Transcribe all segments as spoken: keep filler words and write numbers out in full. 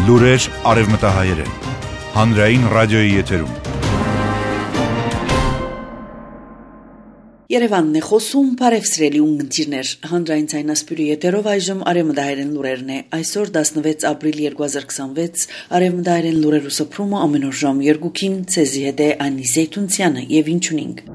Լուրեր արևմտահայերեն։ Հանրային ռադիոյի եթերում։ Երևանն է խոսում, բարևսրելի ունգընտիրներ, հանրային ցայնասպյուրի եթերով այժմ արևմտահայերեն լուրերն է, այսօր տասնվեց ապրիլ երկուհազար քսանվեց, արևմտահայերեն լուրերու սփռումը ամեն օր ժամ երկուքին, ցեզի հետ է Անի Զեյթունցյանը եւ ինչ ունենք։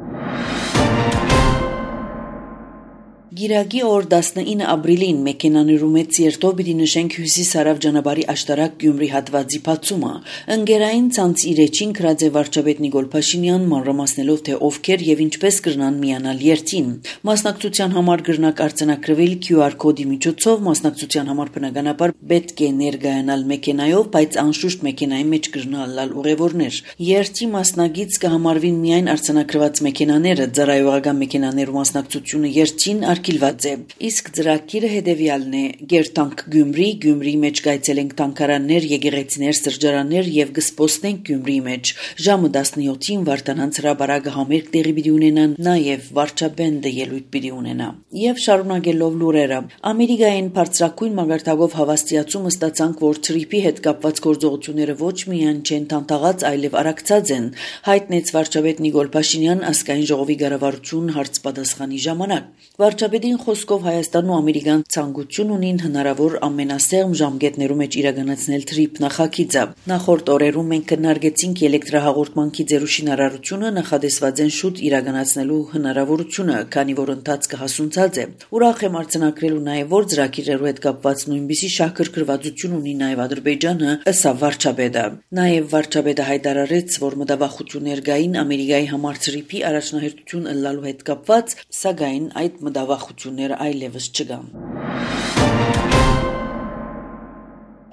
Գիրագի օր տասնինը ապրիլին մեքենաներու մեծ երթով պիտի նշենք հյուսիս-հարավ ճանապարհի աշտարակ Գյումրի հատվածի բացումը։ Ընկերային ցանց իրեջին գրած է վարչապետ Նիկոլ Փաշինյան մանրամասնելով թե ովքեր եւ ինչպես կրնան միանալ երթին։ Մասնակցության համար կրնակ արձանագրվել Q R կոդի միջոցով, մասնակցության համար բնականաբար պետք է ներկայանալ մեքենայով, բայց անշուշտ մեքենայի մեջ կրնալ լալ ուղևորներ։ Երթի մասնագից կհամարվին միայն արձանագրված մեքենաները, ծառայողական մեքենաներու մասնակցությունը երթին արգելված է։ Իսկ ծրագիրը հետևյալն է. Գերտանք Գյումրի, Գյումրի մեջ կայցելենք տանկարաններ, եկեղեցիներ, սրճարաններ եւ կսպոստնենք Գյումրիի մեջ։ Ժամը տասնյոթին Վարդանանց հրաբարակը համերգ տեղի պիտի ունենան, նաեւ վարչաբենդը ելույթ պիտի ունենա։ Եվ շարունակելով լուրերը, Ամերիկային բարձրակույն մագարտակով հավաստիացումը ստացանք, որ թրիփի հետ կապված գործողությունները ոչ միայն չեն տանտաղած, այլև արագացած են, հայտնեց վարչապետ Նիկոլ Փաշինյան ազգային ժողովի կառավարություն հարց պատասխանի ժամանակ։ Վարչապետին խոսքով Հայաստանն ու Ամերիկան ցանկություն ունին հնարավոր ամենասեղմ ժամկետներու մեջ իրականացնել թրիփ նախագիծը։ Նախորդ օրերում մենք քննարկեցինք էլեկտրահաղորդման գիծերու շինարարությունը, նախադեсված են շուտ իրականացնելու հնարավորությունը, քանի որ ընթացքը հասունցած է։ Ուրախ եմ արձանագրելու նաև, որ ծրագիրներու հետ կապված նույնպիսի շահագրգռվածություն ունի նաև Ադրբեջանը, ըստ վարչապետը։ Նաև վարչապետը հայտարարեց, որ մտավախություններ կային Ամերիկայի համար թրիփի առաջնահերթություն ըլլալու հետ կապված, սակայն այդ մտավախությունները այլևս չկան։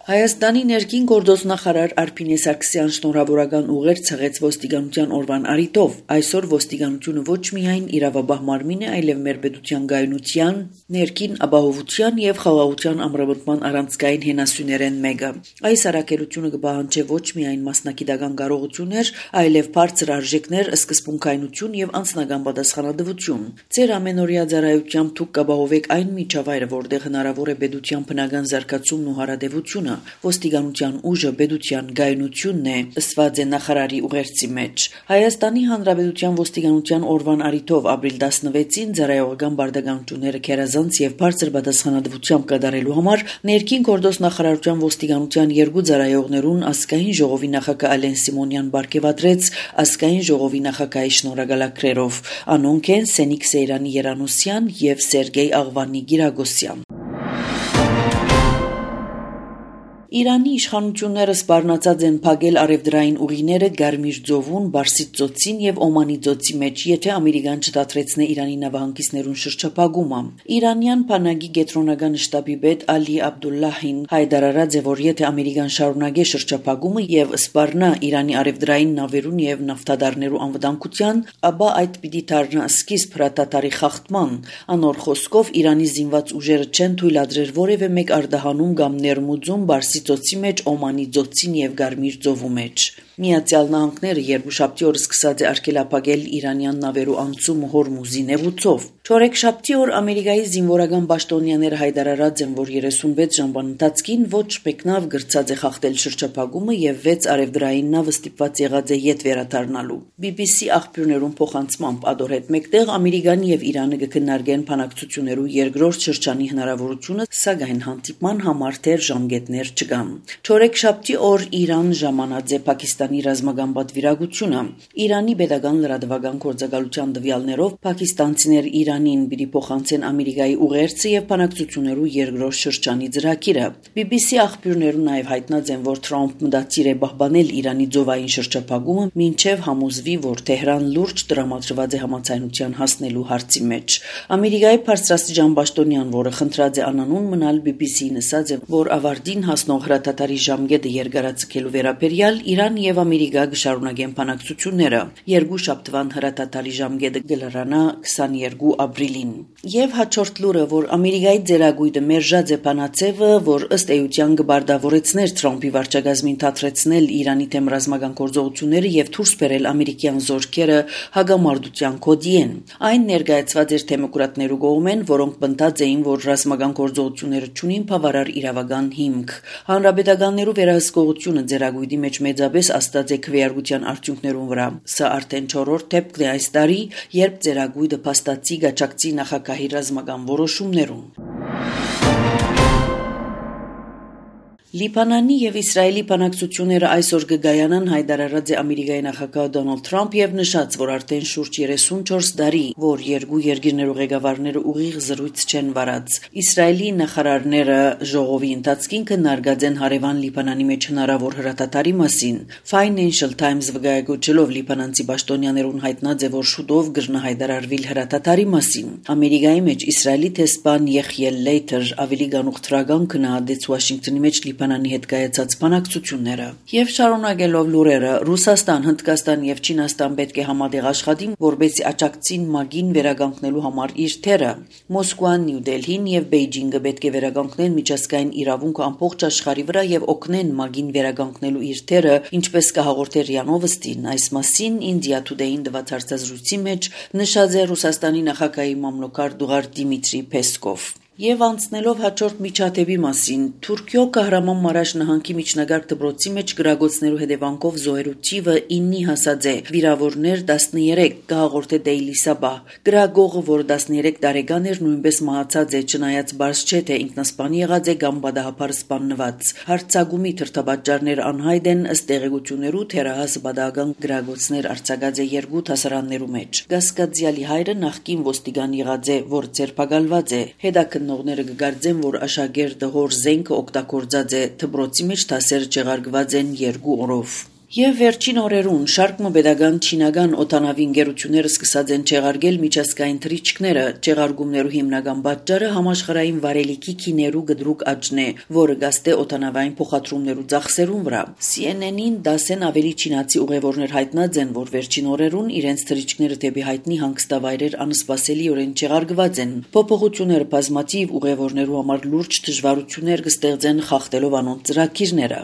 Հայաստանի ներքին գործոստնախարար Արփինե Սարգսյան շնորհավորական ուղեր ցեղեց ոստիկանության օրվան առիթով։ Այսօր ոստիկանությունը ոչ միայն իրավաբահ մարմին է, այլև մեր պետության գայունության, ներքին ապահովության եւ խաղաղության ամրապնդման առանցքային հենասյուներեն մեկը։ Այս առաքելությունը կպահանջի ոչ միայն մասնագիտական կարողություններ, այլև բարձր արժեքներ, սկզբունքայնություն եւ անձնական պատասխանատվություն։ Ձեր ամենօրյա ծառայությամբ դուք կապահովեք այն միջավայրը, որտեղ հնարավոր է պետության բնական զարգացումն ու հարադեվությունը։ Ոստիկանության ուժը պետության գայունությունն է, ըստ նախարարի ուղերձի մեջ։ Հայաստանի Հանրապետության ոստիկանության օրվան առիթով ապրիլ տասնվեցին ծառայողական բարդականությունները քերազանց եւ բարձր պատասխանատվությամբ կատարելու համար ներքին գործոստնախարարության ոստիկանության երկու ծառայողներուն ազգային ժողովի նախագահ Ալեն Սիմոնյան բարգեւատրեց ազգային ժողովի նախագահի շնորհակալագրերով։ Անոնք են Սենիկ Սեյրանի Երանոսյան եւ Սերգեյ Աղվանի Գիրագոսյան։ Իրանի իշխանությունները սպառնացած են փակել արևդրային ուղիները Գարմիր ծովուն, Բարսից ծոցին եւ Օմանի ծոցի մեջ, եթե Ամերիկան չդադրեցնե Իրանի նավահանգիստներուն շրջափակումը։ Իրանյան բանակի կենտրոնական շտաբի պետ Ալի Աբդուլլահին հայտարարած է, որ եթե Ամերիկան շարունակի շրջափակումը եւ սպառնա Իրանի արևդրային նավերուն եւ նավթադարներու անվտանգության, ապա այդ պիտի դառնա սկիզբ հրատատարի խախտման։ Անոր խոսքով Իրանի զինված ուժերը չեն թույլատրել որևէ մեկ արտահանում կամ ներմուծում Բարսից ծոցի մեջ, Օմանի ծոցին եւ Գարմիր ծովու մեջ։ Միացյալ Նահանգները երկուշաբթի օր սկսած է արգելափակել իրանյան նավերու անցումը Հորմուզի նեղուցով։ Չորեքշաբթի օր Ամերիկայի զինվորական պաշտոնյաները հայտարարած են, որ երեսունվեց ժամվան ընթացքին ոչ մեկնավ գրծած է խախտել շրջափակումը եւ վեց արևդրային նավը ստիպված եղած է ետ վերադառնալու։ B B C աղբյուրներուն փոխանցմամբ ադոր հետ մեկտեղ Ամերիկան եւ Իրանը կքննարկեն բանակցություններու երկրորդ շրջանի հնարավորությունը, սակայն հանդիպման համար դեռ ժամկետներ չկան։ Չորեքշաբթի օր Իրան ժամանած է Պակիստանի ռազմական պատվիրակությունը։ Իրանի պետական լրատվական գործակալության տվյալներով պակիստանցիներ Իրանին պիտի փոխանցեն Ամերիկայի ուղերձը եւ բանակցություններու երկրորդ շրջանի ծրագիրը։ B B C աղբյուրներուն նաեւ հայտնած են, որ Թրամփ մտածիր է պահպանել Իրանի ծովային շրջափակումը, մինչեւ համոզվի, որ Թեհրան լուրջ տրամադրված է համաձայնության հասնելու հարցի մեջ։ Ամերիկայի բարձրաստիճան պաշտոնյան, որը խնդրած է անանուն մնալ, B B C-ին ասաց է, որ ավարտին հասնող հրատատարի ժամկետը երկարաձգելու վերաբերյալ Իրան եւ եւ Ամերիկա գշարունակեն բանակցությունները։ Երկու շաբթվան հրատատալի ժամկետը գլրանա քսաներկու ապրիլին։ Եվ հաջորդ լուրը, որ Ամերիկայի ձերագույտը մերժած է բանացևը, որ ըստ էության կբարդավորեցներ Թրամփի վարչակազմին թատրեցնել Իրանի դեմ ռազմական գործողությունները եւ դուրս բերել ամերիկյան զորքերը հագամարտության կոդի են։ Այն ներկայացված էր դեմոկրատներու կողմեն, որոնք բնտած էին, որ ռազմական գործողությունները չունին բավարար իրավական հիմք։ Հանրապետականներու վերահսկողությունը ձերագույտի մեջ մեծապես աստած է քվեարկության արդյունքներուն վրա։ Սա արդեն չորրորդ դեպքն է այս տարի, երբ ձերագույտը փաստացի գաչակցի նախագահի ռազմական որոշումներուն։ Լիբանանի եւ Իսրայելի բանակցությունները այսօր կգայանան հայտարարած է Ամերիկայի նախագահ Դոնալդ Թրամփ եւ նշած, որ արդեն շուրջ երեսունչորս տարի, որ երկու երկիրներու ղեկավարները ուղիղ զրույց չեն վարած։ Իսրայելի նախարարները ժողովի ընթացքին քննարկած են հարևան Լիբանանի մեջ հնարավոր հրատատարի մասին։ Financial Times վկայակոչելով լիբանանցի պաշտոնյաներուն հայտնած է, որ շուտով կգրնա հայտարարվիլ հրատատարի մասին։ Ամերիկայի մեջ Իսրայելի տեսփան Եղիել Լեյթեր ավելի գանուխտրական քննադեց Վաշինգտոնի մեջ Լիբանանի հետ կայացած բանակցությունները։ Եվ շարունակելով լուրերը, Ռուսաստան, Հնդկաստան եւ Չինաստան պետք է համատեղ աշխատին, որպեսզի աջակցին ՄԱԳ-ին վերականգնելու համար իր թերը։ Մոսկվան, Նյու Դելհին եւ Բեյջինգը պետք է վերականգնեն միջազգային իրավունքը ամբողջ աշխարհի վրա եւ օգնեն ՄԱԳ-ին վերականգնելու իր թերը, ինչպես կհաղորդեր ՌԻԱ Նովոստին։ Այս մասին India Today-ին տված հարցազրույցի մեջ նշած է Ռուսաստանի նախագահի մամլոքար Դուղար Դիմիտրի Պեսկով։ Եվ անցնելով հաջորդ միջադեպի մասին, Թուրքիո Կահրաման Մարաշ նահանգի միջնագարկ դպրոցի մեջ գրագործներու հետևանքով զոհերու թիվը իննի հասած է, վիրավորներ տասներեք, կհաղորդե Daily Sabah։ Գրագողը, որ տասներեք տարեկան էր, նույնպես մահացած է, չնայած բարձ չէ, թե ինքնասպան եղած է կամ բադահապար սպաննված։ Հարցակումի թրթապատճառները անհայտ են, ըստ տեղեկություններու թերահաս բադահական գրագործներ արձակած է երկու դասարաններու մեջ։ Գասկածյալի հայրը նախկին ոստիկան եղած է, որ ձերբակալված է։ Հետաքննողները կգարձեն, որ աշակերտը հոր զենքը օգտագործած է, դպրոցի մեջ դասերը չեղարկված են երկու օրով։ Եվ վերջին օրերուն շարք մոբեդական չինական օտանավի ընկերությունները սկսած են չեղարկել միջազգային թռիչքները։ Չեղարկումներու հիմնական պատճառը համաշխարհային վարելիքի քիներու գդրուկ աճն է, որը գաստե օտանավային փոխադրումներու ծախսերուն վրա։ C N N-ին դասեն ավելի չինացի ուղևորներ հայտնած են, որ վերջին օրերուն իրենց թռիչքները դեպի հայտնի հանգստավայրեր անսպասելիորեն չեղարկված են։ Փոփոխությունները բազմաթիվ ուղևորներու համար լուրջ դժվարություններ կստեղծեն խախտելով անոնց ծրագիրները։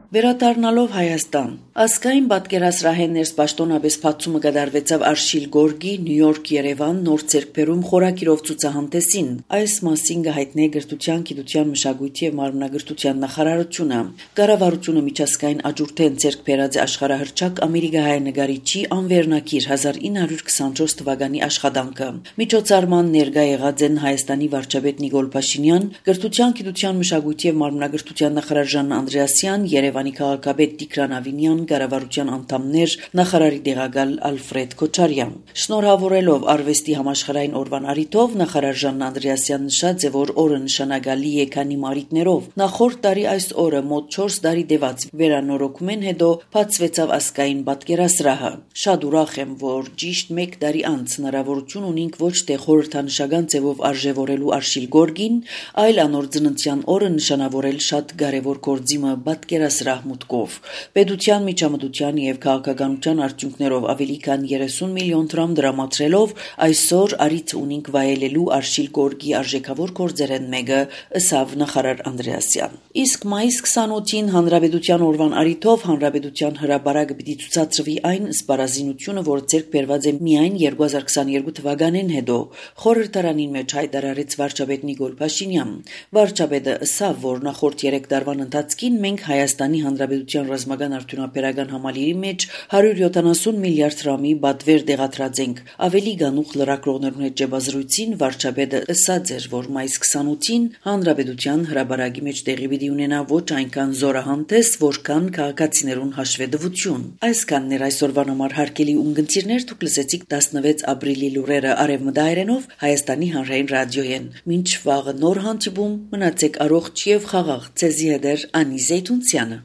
Վերադառնալով Հայաստան, ազգային պատկերասրահեն ներսպաշտոնապես բացումը կդարվեցավ Արշիլ Գորգի Նյու Յորք Երևան նոր ցերկբերում խորակիրով ցուցահանդեսին։ Այս մասին կհայտնի Գրթության, Գիտության, Մշակույթի եւ Մարմնագրթության նախարարությունը։ Կառավարությունը միջազգային աջուրտեն ցերկբերած է աշխարհահռչակ ամերիկահայ նկարիչի անվերնակիր հազար ինը հարյուր քսանչորս թվականի աշխատանքը։ Միջոցառման ներկա եղած են Հայաստանի վարչապետ Նիկոլ Փաշինյան, Գրթության, Գիտության, Մշակույթի եւ Մարմնագրթության նախարար Ժաննա Անդրեասյան, Երևանի քաղաքապետ Տիգրան Ավինյան, կառավարության անդամներ, նախարարի տեղակալ Ալֆրեդ Քոչարյան։ Շնորհավորելով արվեստի համաշխարհային օրվան առիթով նախարար Ժաննա Անդրեասյան նշած է, որ օրը նշանակալի է քանի մարիթներով։ Նախորդ տարի այս օրը մոտ չորս տարի տևած վերանորոգումեն հետո բացվեցավ ազգային պատկերասրահը։ Շատ ուրախ եմ, որ ճիշտ մեկ տարի անց հնարավորություն ունենք ոչ թե խորհրդանշական ձևով արժևորելու Արշիլ Գորգին, այլ անոր ծննդյան օրը նշանավորել շատ կարևոր գործիմը պատկերասրահ մուտքով։ Պետության միջամտության եւ քաղաքականության արդյունքներով ավելի քան երեսուն միլիոն դրամ դրամատրելով այսօր արիթ ունենք վայելելու Արշիլ Գորգի արժեքավոր գործերեն մեկը, ըսավ նախարար Անդրեասյան։ Իսկ մայիս քսանութին հանրապետության օրվան առիթով հանրապետության հրապարակը պիտի ցուցադրվի այն սպառազինությունը, որ ցերկ բերված է միայն երկու հազար քսաներկու թվականին հետո։ Խորհրդարանին մեջ հայտարարեց վարչապետ Նիկոլ Փաշինյան։ Վարչապետը ըսավ, որ նախորդ երեք տարվան ընթացքին մենք Հայաստանի Հանրապետության ռազմական արդյունաբերական համալիրի մեջ հարյուր յոթանասուն միլիարդ դրամի բադվեր դեղատրած ենք։ Ավելի գանուխ լրագրողներուն հետ ճեպազրույցին վարչապետը ըսած էր, որ մայիս քսանութին Հանրապետության հրապարակի մեջ տեղի պիտի ունենա ոչ այնքան զորահանդես, որքան քաղաքացիներուն հաշվետվություն։ Այսքանն էր այսօրվան համար հարգելի ունգընտիրներ, դուք լսեցիք տասնվեց ապրիլի լուրերը արևմտահայերենով Հայաստանի հանրային ռադիոյեն։ Մինչ վաղը նոր հանդիպում, մնացեք առողջ եւ խաղաղ։ Ձեզի հետ էր Անի Զեյթունցյանը։